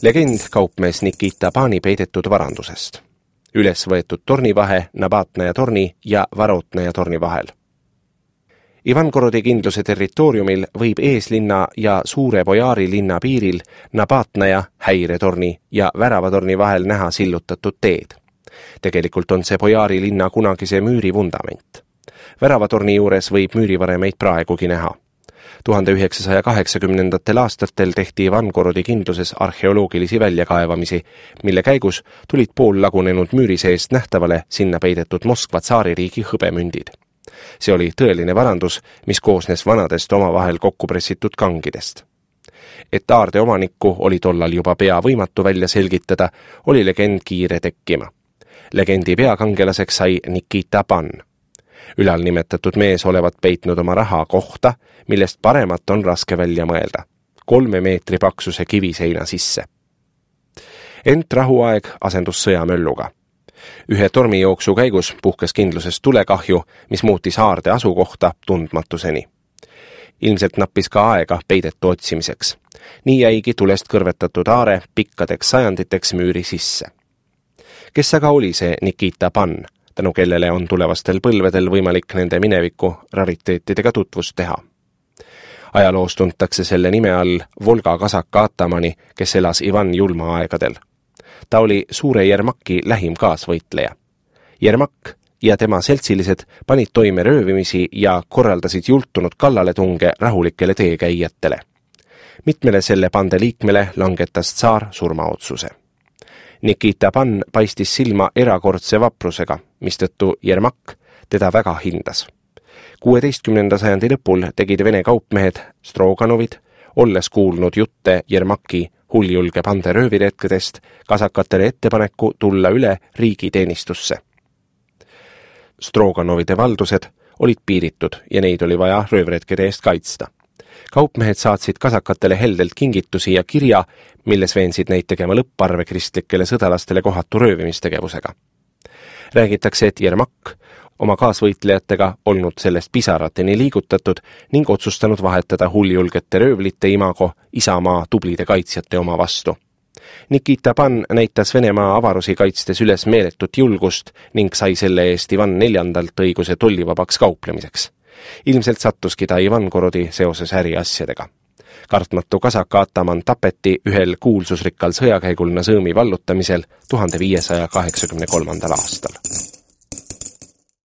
Legend kaupmees Nikita Pani peidetud varandusest. Üles võetud tornivahe Nabatnaja torni ja Varotnaja torni vahel. Ivangorodi kindluse territooriumil võib eeslinna ja Suure Bojaari linna piiril Nabatnaja, häiretorni ja Väravatorni vahel näha sillutatud teed. Tegelikult on see Bojaari linna kunagise müüri vundament. Väravatorni juures võib müürivaremeid praegugi näha. 1980. aastatel tehti Ivangorodi kindluses arheoloogilisi väljakaevamisi, mille käigus tulid poollagunenud müüri seest nähtavale sinna peidetud Moskva tsaaririigi hõbemündid. See oli tõeline varandus, mis koosnes vanadest omavahel kokku pressitud kangidest. Et aarde omanikku oli tollal juba pea võimatu välja selgitada, oli legend kiire tekkima. Legendi peakangelaseks sai Nikita Pan. Ülal nimetatud mees olevat peitnud oma raha kohta, millest paremat on raske välja mõelda. 3 meetri paksuse kiviseina sisse. Ent rahuaeg asendus sõjamölluga. Ühe tormijooksu käigus puhkes kindlusest tulekahju, mis muutis aarde asukohta tundmatuseni. Ilmselt nappis ka aega peidetu otsimiseks. Nii jäigi tulest kõrvetatud aare pikkadeks sajanditeks müüri sisse. Kes aga oli see Nikita Pan, tänu kellele on tulevastel põlvedel võimalik nende mineviku rariteetidega tutvust teha? Ajaloos tuntakse selle nime all Volga kasaka atamani, kes elas Ivan julma aegadel. Ta oli suure Jermaki lähim kaasvõitleja. Jermak ja tema seltsilised panid toime röövimisi ja korraldasid jultunud kallaletunge rahulikele teekäijatele. Mitmele selle bande liikmele langetas tsaar surmaotsuse. Nikita Pan paistis silma erakordse vaprusega, mistõttu Jermak teda väga hindas. 16. sajandi lõpul tegid Vene kaupmehed Stroganovid, olles kuulnud jutte Jermaki hulljulge bande rööviretkedest, kasakatele ettepaneku tulla üle riigiteenistusse. Stroganovide valdused olid piiritud ja neid oli vaja röövretkede eest kaitsta. Kaupmehed saatsid kasakatele heldelt kingitusi ja kirja, milles veensid neid tegema lõpparve kristlikele sõdalastele kohatu röövimistegevusega. Räägitakse, et Jermak oma kaasvõitlejatega olnud sellest pisarateni liigutatud ning otsustanud vahetada hulljulgete röövlite imago isamaa tublide kaitsjate oma vastu. Nikita Pan näitas Venemaa avarusi kaitstes üles meeletut julgust ning sai selle eest Ivan IV õiguse tollivabaks kauplemiseks. Ilmselt sattuski ta Ivangorodi seoses äriasjadega. Kartmatu kasaka ataman tapeti ühel kuulsusrikkal sõjakäigul Nazõmi vallutamisel 1583. aastal.